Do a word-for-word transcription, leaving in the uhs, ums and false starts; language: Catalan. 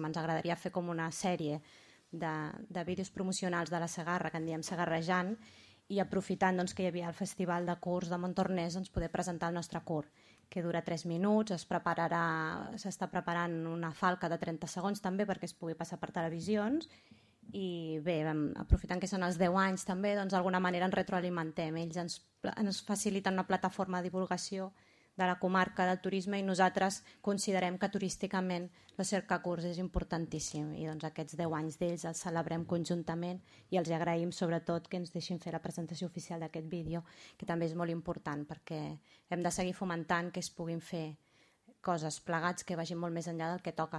Ens agradaria fer com una sèrie de, de vídeos promocionals de la Segarra, que en diem Segarrejant, i aprofitant doncs, que hi havia el Festival de Curs de Montornès, doncs, poder presentar el nostre curs, que dura tres minuts, es prepararà, s'està preparant una falca de trenta segons també perquè es pugui passar per televisions, i bé, aprofitant que són els deu anys també, doncs d'alguna manera ens retroalimentem. Ells ens, ens faciliten una plataforma de divulgació de la comarca del turisme i nosaltres considerem que turísticament la Cercacurs és importantíssim i doncs aquests deu anys d'ells els celebrem conjuntament i els agraïm sobretot que ens deixin fer la presentació oficial d'aquest vídeo, que també és molt important perquè hem de seguir fomentant que es puguin fer coses plegats que vagin molt més enllà del que toca.